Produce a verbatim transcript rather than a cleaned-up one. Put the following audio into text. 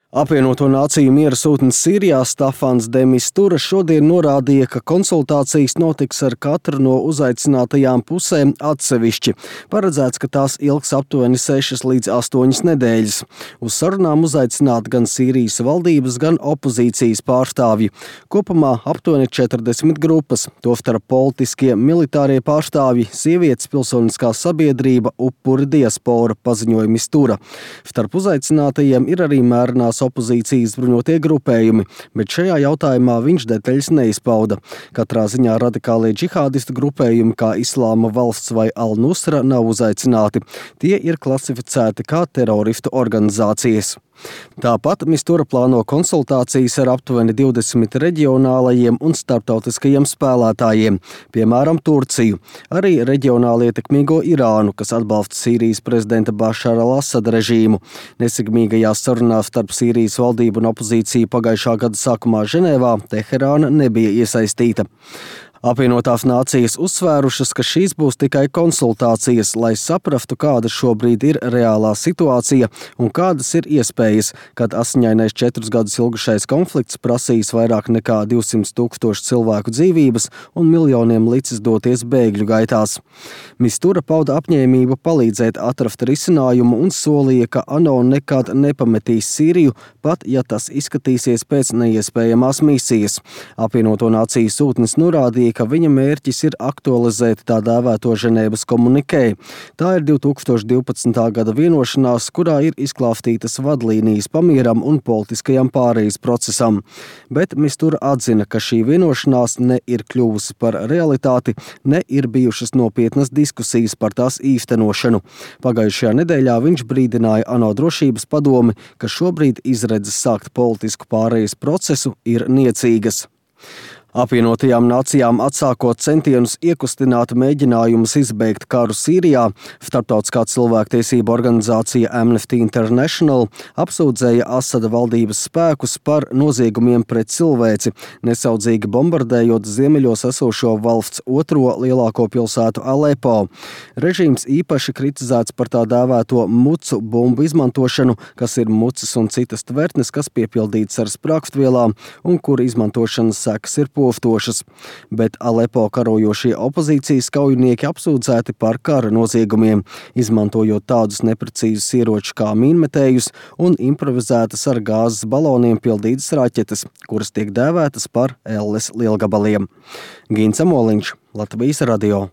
Apvienoto Nāciju miera sūtnis Sīrijā Stafans de Mistura šodien norādīja, ka konsultācijas notiks ar katru no uzaicinātajām pusēm atsevišķi. Paredzēts, ka tās ilgs aptuveni sešas līdz astoņas nedēļas. Uz sarunām uzaicināti gan Sīrijas valdības, gan opozīcijas pārstāvji. Kopumā aptuveni četrdesmit grupas, tostarp politiskie, militārie pārstāvji, sievietes, pilsoniskā sabiedrība, upuri, diaspora, paziņoja Mistura. Starp uzaicinātajiem ir arī mērenās opozīcijas bruņotie grupējumi, bet šajā jautājumā viņš detaļas neizpauda. Katrā ziņā radikālie džihādistu grupējumi kā Islāma valsts vai Al-Nusra nav uzaicināti. Tie ir klasificēti kā teroristu organizācijas. Tāpat Mistura plāno konsultācijas ar aptuveni divdesmit reģionālajiem un starptautiskajiem spēlētājiem, piemēram, Turciju, arī reģionāli ietekmīgo Irānu, kas atbalsta Sīrijas prezidenta Bašara al-Asada režīmu. Nesekmīgajās sarunās starp Sīrijas valdību un opozīciju pagājušā gada sākumā Ženēvā Teherāna nebija iesaistīta. Apvienotās Nācijas uzsvērušas, ka šīs būs tikai konsultācijas, lai saprastu, kāda šobrīd ir reālā situācija un kādas ir iespējas, kad asiņainais četrus gadus ilgušais konflikts prasīs vairāk nekā divsimt tūkstošu cilvēku dzīvības un miljoniem licis doties bēgļu gaitās. Mistura pauda apņēmību palīdzēt atrast risinājumu un solīja, ka ANO nekad nepametīs Sīriju, pat ja tas izskatīsies pēc neiespējamās misijas. Apvienoto Nāciju sūtnis norādīja, ka viņa mērķis ir aktualizēt tā dēvēto Ženēvas komunikē. Tā ir divi tūkstoši divpadsmitā gada vienošanās, kurā ir izklāstītas vadlīnijas pamieram un politiskajam pārejas procesam. Bet Mistura atzina, ka šī vienošanās ne ir kļuvusi par realitāti, ne ir bijušas nopietnas diskusijas par tās īstenošanu. Pagājušajā nedēļā viņš brīdināja ANO drošības padomi, ka šobrīd izredzes sākt politisku pārejas procesu ir niecīgas. Apvienotajām Nācijām atsākot centienus iekustināt mēģinājumus izbeigt karu Sīrijā, starptautiskā cilvēktiesība organizācija Amnesty International apsūdzēja Asada valdības spēkus par noziegumiem pret cilvēci, nesaudzīgi bombardējot ziemeļos esošo valsts otro lielāko pilsētu Alepo. Režīms īpaši kritizēts par tā dēvēto mucu bumbu izmantošanu, kas ir mucas un citas tvertnes, kas piepildītas ar sprākstvielām un kura izmantošanas sekas ir postošas, bet Alepo karojošie opozīcijas kaujinieki apsūdzēti par kara noziegumiem, izmantojot tādus neprecīzus ieročus kā mīnmetējus un improvizētas ar gāzes baloniem pildītas raķetes, kuras tiek dēvētas par elles lielgabaliem. Gins Amoliņš, Latvijas radio.